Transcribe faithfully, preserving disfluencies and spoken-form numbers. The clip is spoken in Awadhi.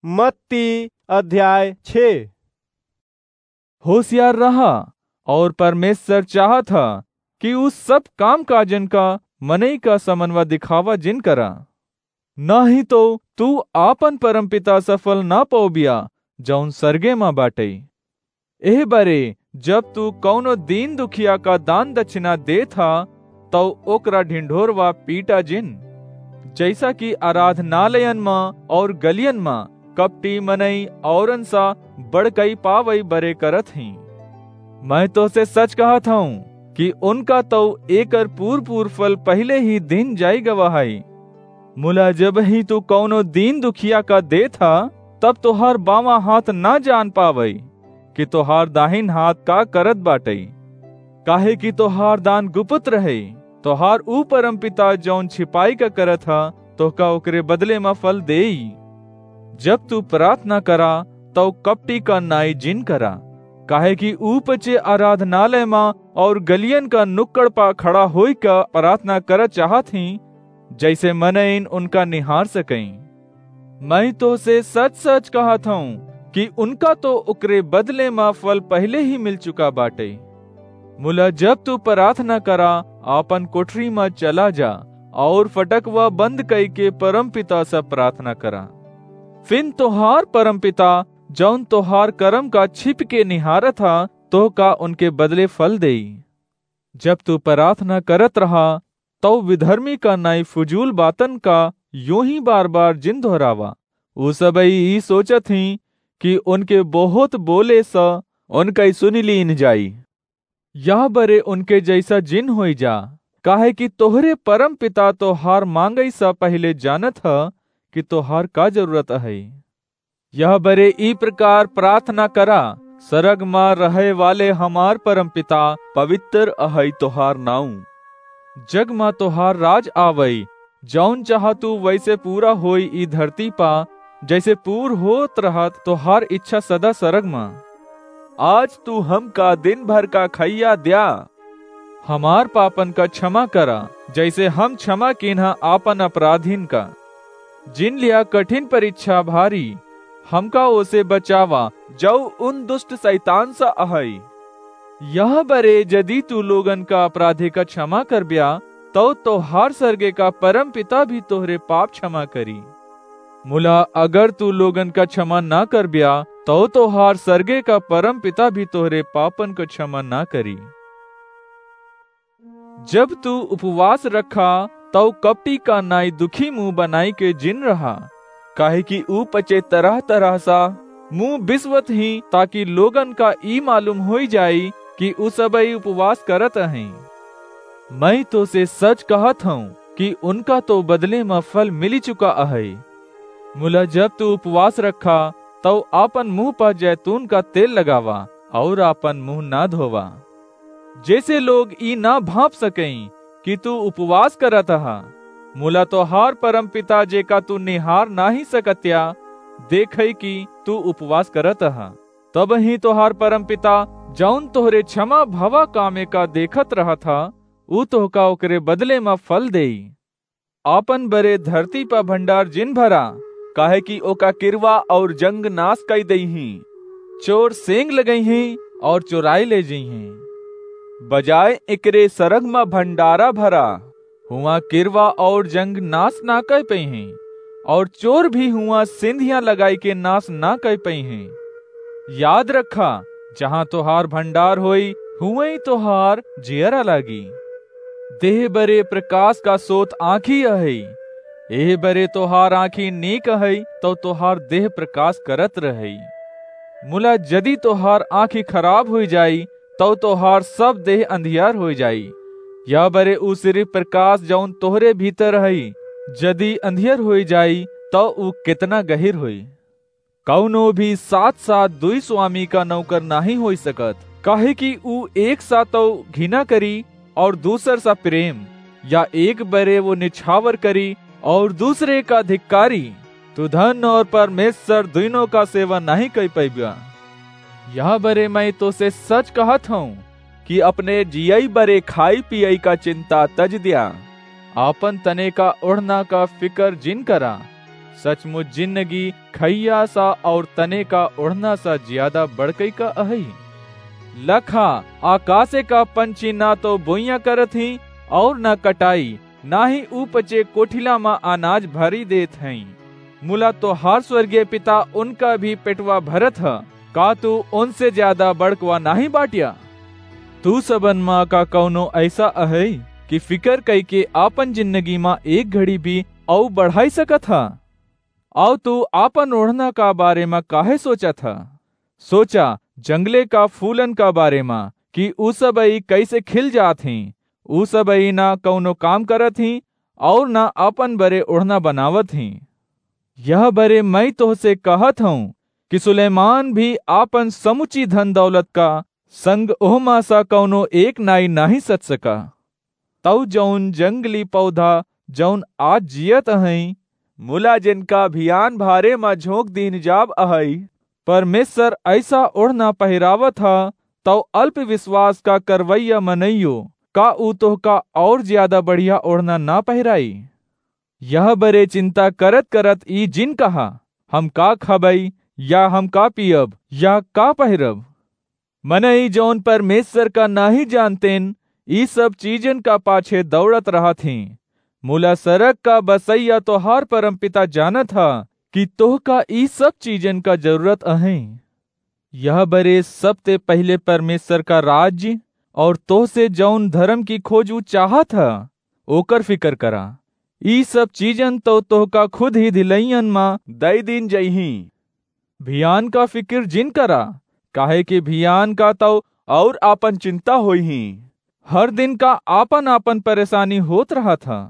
मत्ती अध्याय छः। होशियार रहा, और परमेश्वर चाहत ह कि उ सब काम काजन का मनई का समनवा दिखावा जिन करा, नाहीं तो तू आपन परमपिता से फल ना पौबिया, जौन सरगे मा बाटै। एह बरे जब तू कौनो दीन दुखिया का दान दक्षिणा देत हा, तौ ओकरा ढिंढोरवा पीटा जिन, जैसा कि आराधनालयन मा और गलियन मा कपटी मनई औरन सा बड़कई पावई बरे करत हीं। मैं तोसे सच कहत हूँ कि उनका तौ एकर पूर पूर फल पहिले ही दिन जाई गवा है। मुला जब ही तू कौनो दीन दुखिया का देत हा, तब तोहार बावां हाथ ना जान पावई कि तोहार दाहिन हाथ का करत बाटई, काहे कि तोहार दान गुप्त रहे। तोहार ऊ परमपिता जौन छिपाई का करत हा, तोहका ओकरे बदले मा फल देई। जब तू प्रार्थना करा, तौ कपटी का नाई जिन करा, काहे कि ऊ पचे आराधनालय मा और गलियन का नुक्कड़ पा खड़ा होई का प्रार्थना करत चाहत हीं, जैसे मनइन उनका निहार सकई। मैं तोसे सच-सच कहत हूँ कि उनका तो ओकरे बदले मा फल पहिले ही मिल चुका बाटै। मुला जब तू प्रार्थना करा, आपन कोठरी मा चला जा और फटकवा बंद कई के परमपिता से प्रार्थना करा। फिन तोहार परमपिता, जौन तोहार करम का छिप के निहारत हा, तोहका उनके बदले फल देई। जब तू प्रार्थना करत रहा, तौ विधर्मी का नाई फजूल बातन का यूं ही बार-बार जिन दोहरावा। उ सबई ई सोचत हीं कि उनके बहुत बोले स उनकई सुनि लीन जाई। यह बरे उनके जैसा जिन होई जा, काहे कि तोहरे परमपिता तोहार मांगई स पहिले जानत ह कि तोहार का जरूरत है। यह बरे ई प्रकार प्रार्थना करा, सरग मा रहे वाले हमार परमपिता, पवित्र अहई तोहार नाऊ। जग मा तोहार राज आवई, जौन चाह तू वैसे पूरा होई ई धरती पा, जैसे पूर होत रहत तोहार इच्छा सदा सरग मा। आज तू हमका दिन भर का खैया द्या। हमार पापन का क्षमा करा, जैसे हम क्षमा कीन्हा आपन अपराधीन का। जिन लिया कठिन परीक्षा भारी, हमका ओसे बचावा, जौ उन दुष्ट शैतान सा अहई। यह बरे यदि तू लोगन का अपराधी का क्षमा करब्या, तौ तोहार सरगे का परम पिता भी तोहरे पाप क्षमा करी। मुला अगर तू लोगन का क्षमा ना करब्या, तौ तोहार सरगे का परम पिता भी तोहरे पापन का क्षमा ना करी। जब तू उपवास रखा, तौ कपटी का नाई दुखी मुंह बनाई के जिन रहा, काहे कि ऊ पचे तरह तरह सा मुंह बिसवत ही, ताकि लोगन का ई मालूम होई जाई कि ऊ सबई उपवास करत अहई। मैं तोसे सच कहत हूँ कि उनका तो बदले मा फल मिली चुका अहई। मुला जब तू उपवास रखा, तौ आपन मुंह पर जैतून का तेल लगावा और आपन मुंह ना धोवा, जैसे लोग ई ना भांप सकई कि तू उपवास करत हा। मुला तोहार परम पिता, जेका तू निहार नाही सकत्या, देखई कि तू उपवास करत हा। तब ही तोहार परम पिता, जौन तोहरे क्षमा भवा कामे का देखत रहत हा, ऊ तोहका ओकरे बदले मा फल देई। आपन बरे धरती पा भंडार जिन भरा, काहे कि ओका किरवा और जंग नाश कई देइहीं। चोर सेंग लगइहीं और चोराई ले जइहीं। बजाय एकरे सरग मा भंडारा भरा, हुआं किरवा और जंग नाश ना कई पइहीं, और चोर भी हुआं सिंधिया लगाई के नाश ना कई पइहीं। याद रखा, जहाँ तोहार भंडार होई, हुवई तोहार जियरा लागी। देह बरे प्रकाश का सोत आँखी अहई। एह बरे तोहार आँखी नीक अहई, तौ तोहार देह प्रकाश करत रहई। मुला जदि तोहार आँखी खराब होई जाई, तौ तोहार सब देह अंधियार होई जाई। यह बरे ऊ सिर्फ प्रकाश, जौन तोहरे भीतर हई, जदि अंधियर होई जाई, तौ ऊ केतना गहिर होई। कौनो भी साथ साथ दुई स्वामी का नौकर नाही होई सकत, काहे कि ऊ एक सा तौ घिना करी और दूसर सा प्रेम, या एक बरे वो निछावर करी और दूसरे का धिक्कारी। तू धन और परमेश्वर दुइनों का सेवा नाही कई पइब्या। यह बरे मैं तोसे सच कहत हूँ कि अपने जियई बरे खाई पियई का चिंता तज द्या। आपन तने का ओढ़ना का फिकर जिन करा। सचमुच जिन्नगी खइया सा और तने का ओढ़ना सा ज्यादा बड़कई का अहई। लखा, आकासे का पंछी ना तो बोइयां करत ही और ना कटाई, ना ही ऊ पचे कोठिला मा अनाज भरी देत हई। मुला तोहार स्वर्गीय पिता उनका भी पेटवा भरत ह, का तू उनसे ज्यादा बड़कवा नाही बाट्या? तू सबन मा का कौनो ऐसा अहई कि फिकर कई के आपन जिन्नगी मा एक घड़ी भी अउ बढ़ाई सकत ह? अउ तू आपन ओढ़ना का बारे मा काहे सोचत ह? सोचा, जंगले का फूलन का बारे मा, कि ऊ सबई कैसे खिल जात ही। ऊ सबई ना कौनो काम करत ही और ना आपन बरे ओढ़ना बनावत ही। यह बरे मैं तोहसे कहत हूँ कि सुलेमान भी आपन समुची धन दौलत का संग ओहमा सा कौनो एक नाई नाही सच सका। तउ जौन जंगली पौधा जौन आज जियत अहई, मुला जिनका भियान भारे मा झोंक दीन जाब अहई, परमेश्वर ऐसा ओढ़ना पहिरावत ह, तउ अल्प विश्वास का करवैया मनइयो, का ऊ तोहका और ज्यादा बढ़िया ओढ़ना ना पहिराई? यह बरे चिंता करत करत ई जिन कहा, हम का खबई, या हम का पियब, या का पहिरब? मनई जौन परमेश्वर का नाही जानतेन, ई सब चीजन का पाछे दौड़त रहत ही। मुला सरग का बसैया तोहार परमपिता जानत ह कि तोहका ई सब चीजन का जरूरत अहई। यह बरे सबते पहिले परमेश्वर का राज्य और तोहसे जौन धर्म की खोज ऊ चाहत ह, ओकर फिकर करा। ई सब चीजन तो तोहका खुद ही धिलैयन मा दई दीन जइही। भियान का फिकिर जिन करा, काहे कि भियान का तउ और आपन चिंता होइही। हर दिन का आपन आपन परेशानी होत रहत ह।